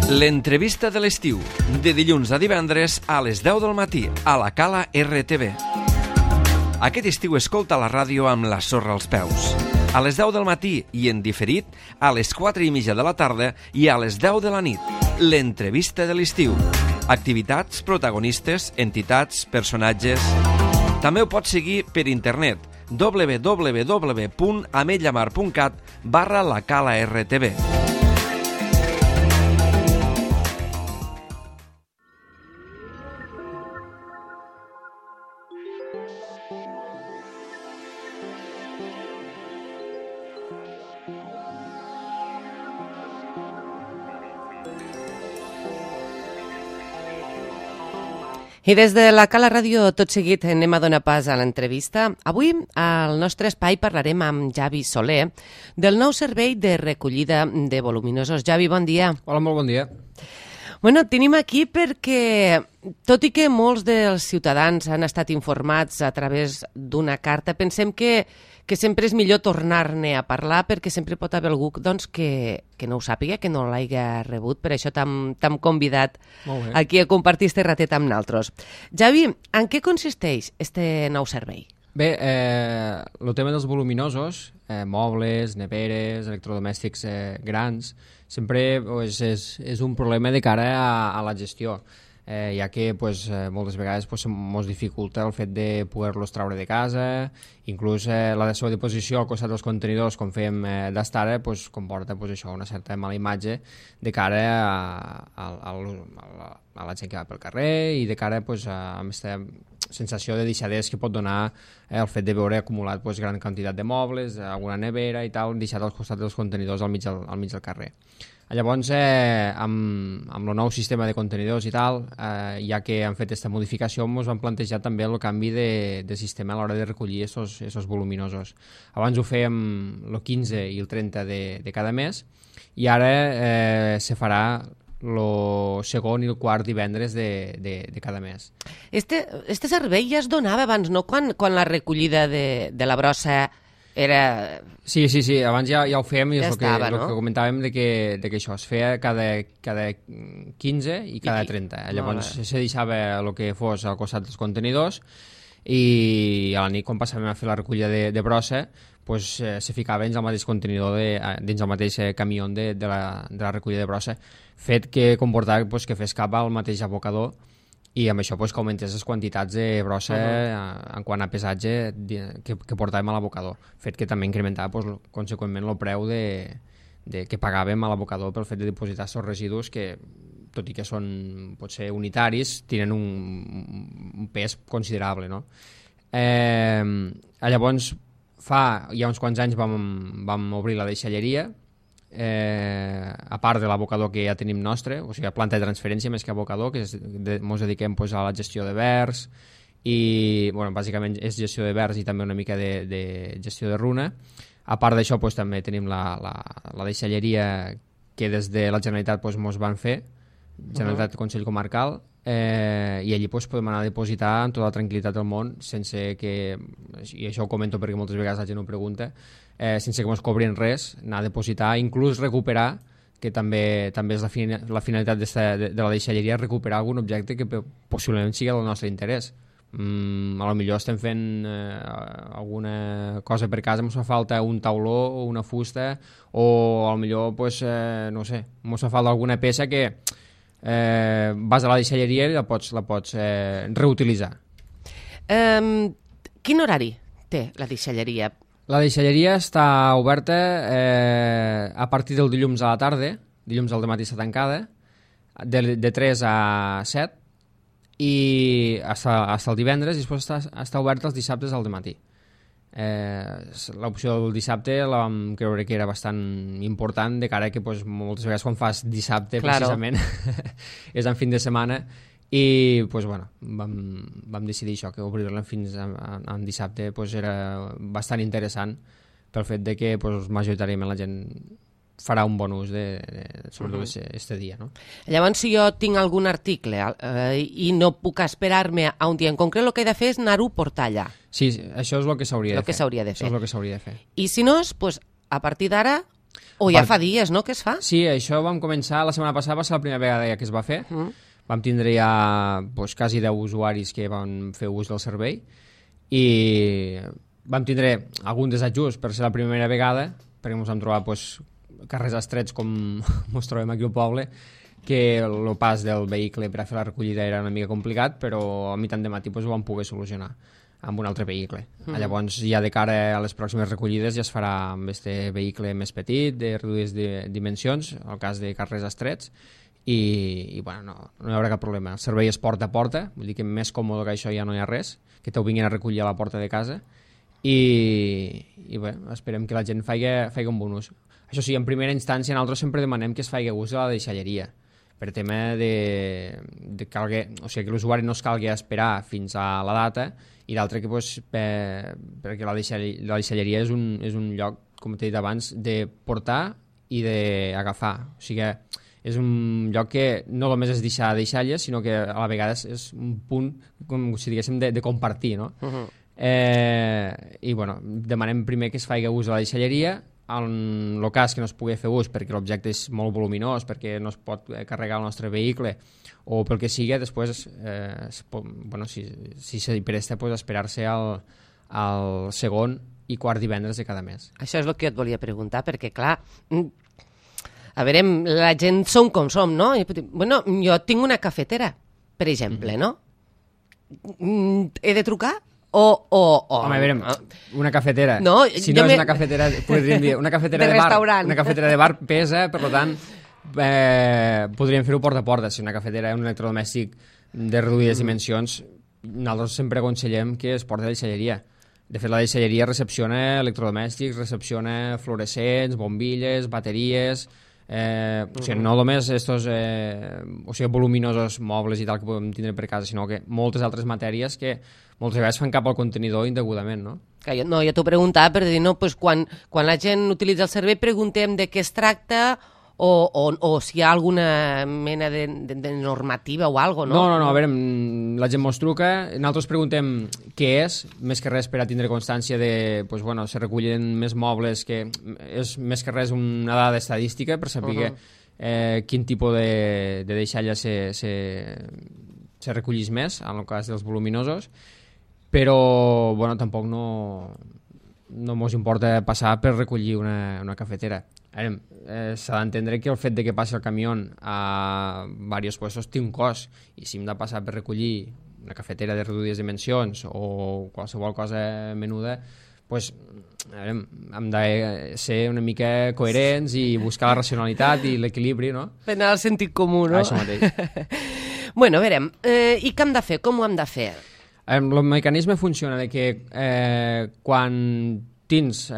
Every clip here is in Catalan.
L'entrevista de l'estiu, de dilluns a divendres a les 10 del matí, a la Cala RTV. Aquest estiu escolta la ràdio amb la sorra als peus. A les 10 del matí i en diferit, a les 4:30 de la tarda i a les 10 de la nit. L'entrevista de l'estiu. Activitats, protagonistes, entitats, personatges... També ho pots seguir per internet www.ametllamar.cat/lacala-rtv. I des de la Cala Ràdio, tot seguit, anem a donar pas a l'entrevista. Avui, al nostre espai, parlarem amb Javi Soler del nou servei de recollida de voluminosos. Javi, bon dia. Hola, molt bon dia. Bueno, tenim aquí perquè, tot i que molts dels ciutadans han estat informats a través d'una carta, pensem que sempre és millor tornar-ne a parlar perquè sempre pot haver algú doncs, que no ho sàpiga, que no l'hagi rebut. Per això t'hem convidat aquí a compartir este ratet amb naltros. Javi, en què consisteix este nou servei? Bé, el tema dels voluminosos, mobles, neveres, electrodomèstics grans, sempre és un problema de cara a la gestió, ja que moltes vegades ens dificulta el fet de poder-los treure de casa, inclús la seva disposició al costat dels contenidors, com fèiem d'estar ara, comporta això, una certa mala imatge de cara a la gent que va pel carrer i de cara a aquesta sensació de deixadesa que pot donar el fet de veure acumulat gran quantitat de mobles, alguna nevera i tal, deixat al costat dels contenidors al mig del carrer. Llavors, amb el nou sistema de contenidors i tal, ja que han fet aquesta modificació, ens van plantejar també el canvi de sistema a l'hora de recollir aquests voluminosos. Abans ho fèiem el 15 i el 30 de cada mes, i ara se farà el segon i el quart divendres de cada mes. Este servei ja es donava abans, no? Quan la recollida de la brossa era... Sí, abans ja ho fèiem i és ja el que comentàvem de que això es feia cada 15 i cada 30. Llavors se deixava el que fos al costat dels contenidors i a la nit, quan passàvem a fer la recollida de brossa, se ficava dins el mateix contenidor, dins el mateix camió de la recollida de brossa, fet que comportava que fes cap al mateix abocador i amb això que augmentés les quantitats de brossa en quant a pesatge que portàvem a l'abocador, fet que també incrementava conseqüentment el preu que pagàvem a l'abocador pel fet de dipositar aquests residus que, tot i que són potser unitaris, tenen un pes considerable, no? Llavors, fa ja uns quants anys vam obrir la deixalleria, a part de l'abocador que ja tenim nostre, o sigui, planta de transferència més que abocador, que ens dediquem a la gestió de verds i, bàsicament és gestió de verds i també una mica de gestió de runa. A part d'això, també tenim la deixalleria que des de la Generalitat ens van fer, Generalitat Consell Comarcal, i allí podem anar a dipositar amb tota la tranquil·litat del món, sense que, i això ho comento perquè moltes vegades la gent ho pregunta, sense que ens cobrin res, anar a dipositar, inclús recuperar, que també és la finalitat de la deixalleria, recuperar algun objecte que possiblement sigui del nostre interès. A lo millor estem fent alguna cosa per casa, ens fa falta un tauló o una fusta, o a lo millor, no sé, ens fa falta alguna peça que vas a la deixalleria i la pots reutilitzar. Quin horari té la deixalleria? La deixalleria està oberta a partir del dilluns a la tarda, dilluns al matí està tancada, de 3 a 7, i fins el divendres, i després està oberta els dissabtes al matí. L'opció del dissabte la vam creure que era bastant important, de cara que moltes vegades quan fas dissabte, precisament, és en fin de setmana, i vam decidir això, que obrir-la fins en dissabte era bastant interessant pel fet de que majoritàriament la gent farà un bon ús sobretot aquest dia, no? Llavors, si jo tinc algun article i no puc esperar-me a un dia en concret, el que he de fer és anar-ho a portar allà. Sí, això és el que s'hauria de fer. El que s'hauria de fer. Això és el que s'hauria de fer. I si no, a partir d'ara, O ja fa dies, no?, que es fa? Sí, això vam començar, la setmana passada va ser la primera vegada que es va fer. Vam tindre ja quasi 10 usuaris que van fer ús del servei i vam tindre algun desajust per ser la primera vegada, perquè ens vam trobar carrers estrets com ens trobem aquí al poble, que el pas del vehicle per a fer la recollida era una mica complicat, però a mitjan de matí ho vam poder solucionar amb un altre vehicle. Llavors, ja de cara a les pròximes recollides ja es farà amb aquest vehicle més petit, de reduïdes dimensions, en el cas de carrers estrets, i bueno, no hi haurà cap problema. El servei es porta a porta, vull dir que més còmode que això ja no hi ha res, que t'ho vinguin a recollir a la porta de casa, i bé, esperem que la gent faci un bon ús. Això sí, en primera instància nosaltres sempre demanem que es faci ús de la deixalleria, per tema que l'usuari no es calgui esperar fins a la data, i l'altre que perquè la deixalleria és un lloc, com t'he dit abans, de portar i d'agafar. O sigui que és un lloc que no només és deixar deixalles, sinó que a la vegada és un punt, com si diguéssim, de compartir, no? I bueno, demanem primer que es faci ús de la deixalleria. En el cas que no es pugui fer ús perquè l'objecte és molt voluminós, perquè no es pot carregar el nostre vehicle o pel que sigui, després si se presta, esperar-se al segon i quart divendres de cada mes. Això és el que et volia preguntar, perquè clar, a veure, la gent som com som, no? Bueno, jo tinc una cafetera, per exemple, no? He de trucar? Home, a veure, una cafetera, no, si no és una cafetera, podríem dir, una cafetera de bar, una cafetera de bar pesa, per tant, podríem fer-ho porta a porta. Si una cafetera és un electrodomèstic de reduïdes dimensions, nosaltres sempre aconsellem que es porti a la deixalleria. De fet, la deixalleria recepciona electrodomèstics, recepciona fluorescents, bombilles, bateries, o sigui, no només estos voluminosos mobles i tal que podem tindre per casa, sinó que moltes altres matèries que moltes vegades fan cap al contenidor indegudament, no? No, jo t'ho preguntava per dir, no, pues quan la gent utilitza el servei preguntem de què es tracta o si hi ha alguna mena de normativa o alguna cosa, no? No, a veure, la gent mos truca, nosaltres preguntem què és, més que res per a tindre constància de, se recullen més mobles, que és més que res una dada estadística per saber quin tipus de deixalla se recollís més, en el cas dels voluminosos, però tampoc no mos importa passar per recollir una cafetera. S'ha d'entendre que el fet de que passi el camió a diversos puestos té un cost, i si hem de passar per recollir una cafetera de reduïdes dimensions o qualsevol cosa menuda, hem de ser una mica coherents i buscar la racionalitat i l'equilibri, no? Per anar al sentit comú, no? Això mateix. Bueno, a veure, i què hem de fer? Com ho hem de fer? El mecanisme funciona de que quan tens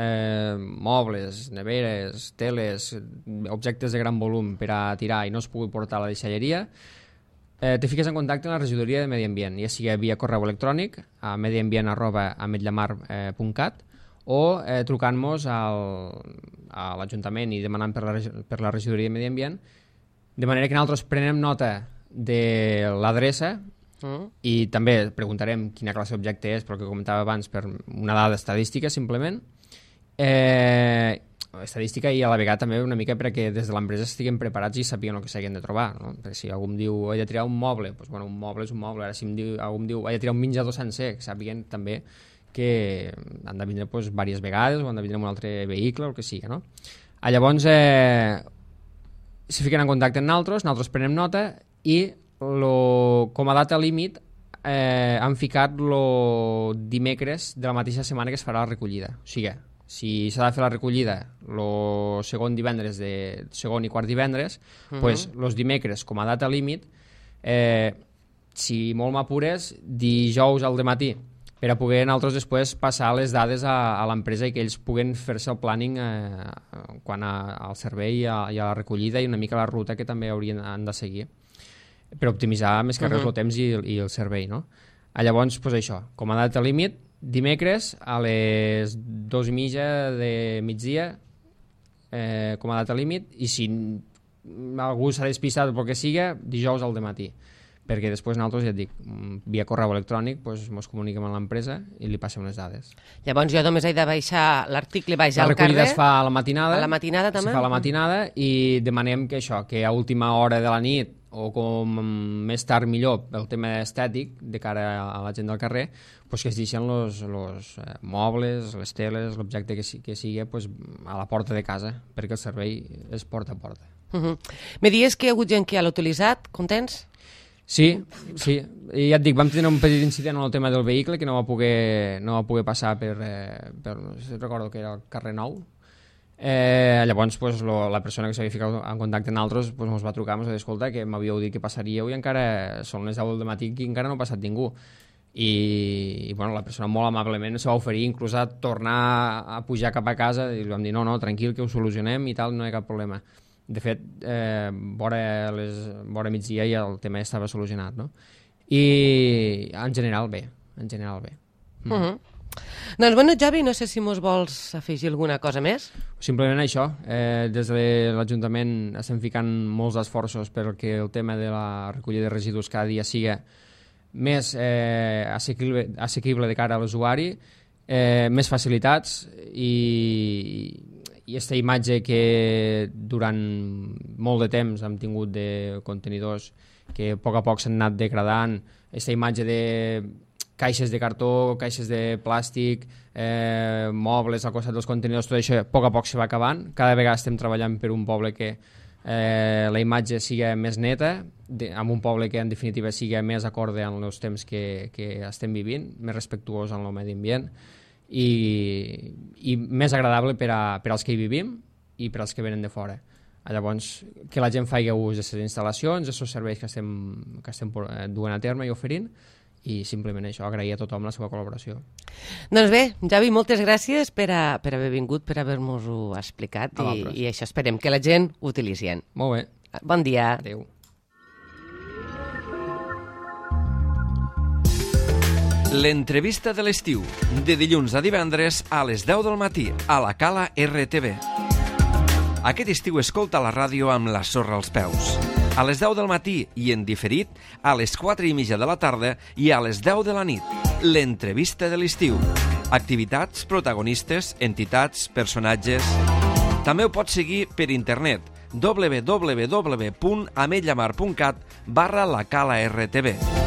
mobles, neveres, teles, objectes de gran volum per a tirar i no es pugui portar a la deixalleria, te fiques en contacte amb la regidoria de Medi Ambient, ja sigui via correu electrònic a mediambient@ametllammar.cat o trucant-nos a l'Ajuntament i demanant per la regidoria de Medi Ambient, de manera que nosaltres prenem nota de l'adreça i també preguntarem quina classe d'objecte és, però que comentava abans, per una dada estadística simplement, estadística, i a la vegada també una mica perquè des de l'empresa estiguem preparats i sapiguen el que s'hagin de trobar, no? Perquè si algú em diu he de tirar un moble, un moble és un moble. Ara si algú em diu he de tirar un menjador sencer, que sàpiguen també que han de vindre diverses vegades o han de vindre amb un altre vehicle o el que sigui, no? Llavors se fiquen en contacte amb nosaltres prenem nota i com a data límit han ficat el dimecres de la mateixa setmana que es farà la recollida. O sigui, si s'ha de fer la recollida el segon divendres de segon i quart divendres, els dimecres com a data límit, si molt m'apures, dijous al dematí, per a poder nosaltres després passar les dades a l'empresa i que ells puguen fer-se el planning quant al servei i a la recollida i una mica la ruta que també han de seguir, per optimitzar més que res el temps i el servei, no? Llavors, això, com a data límit, dimecres a les 2:30 de migdia com a data límit, i si algú s'ha despistat pel que siga, dijous al dematí, perquè després nosaltres, ja et dic, via correu electrònic ens comuniquem amb l'empresa i li passem les dades. Llavors jo només he de baixar l'article, vaig al carrer... La recollida es fa a la matinada. A la matinada també? Es fa a la matinada i demanem que que a última hora de la nit o com més tard millor, pel tema estètic, de cara a la gent del carrer, que es deixen els mobles, les teles, l'objecte que sigui a la porta de casa, perquè el servei és porta a porta. Me dius que hi ha hagut gent que ja l'ha utilitzat, contents? Sí, i ja et dic, vam tenir un petit incident en el tema del vehicle que no va poder passar per recordo que era el carrer Nou. Llavors la persona que s'havia ficat en contacte amb nosaltres ens va trucar, ens va dir, escolta, que m'havíeu dit que passaríeu i encara són les 10 del matí i encara no ha passat ningú. I la persona molt amablement se va oferir inclús a tornar a pujar cap a casa i li vam dir, no, tranquil, que ho solucionem i tal, no hi ha cap problema. De fet, vora migdia ja el tema ja estava solucionat, no? I en general bé. Doncs bueno, Javi, no sé si mos vols afegir alguna cosa més. Simplement això, des de l'Ajuntament estem ficant molts esforços perquè el tema de la recollida de residus cada dia sigui més assequible de cara a l'usuari, més facilitats i aquesta imatge que durant molt de temps hem tingut de contenidors que a poc s'han anat degradant, aquesta imatge de caixes de cartó, caixes de plàstic, mobles al costat dels contenidors, tot això a poc se va acabant. Cada vegada estem treballant per un poble que la imatge sigui més neta, amb un poble que en definitiva sigui més acorde amb els temps que estem vivint, més respectuós amb el medi ambient i més agradable per als que hi vivim i per als que venen de fora. Llavors, que la gent faci ús de les instal·lacions, dels serveis que estem duent a terme i oferint, i simplement això, agrair a tothom la seva col·laboració. Doncs bé, Javi, moltes gràcies per haver vingut, per haver-nos-ho explicat i això, esperem que la gent ho utilitzi. Molt bé. Bon dia. Adéu. L'entrevista de l'estiu, de dilluns a divendres a les 10 del matí, a la Cala RTV. Aquest estiu escolta la ràdio amb la sorra als peus. A les 10 del matí i en diferit a les 4:30 de la tarda i a les 10 de la nit. L'entrevista de l'estiu. Activitats, protagonistes, entitats, personatges... També ho pots seguir per internet www.ametlllamar.cat/la Cala RTV.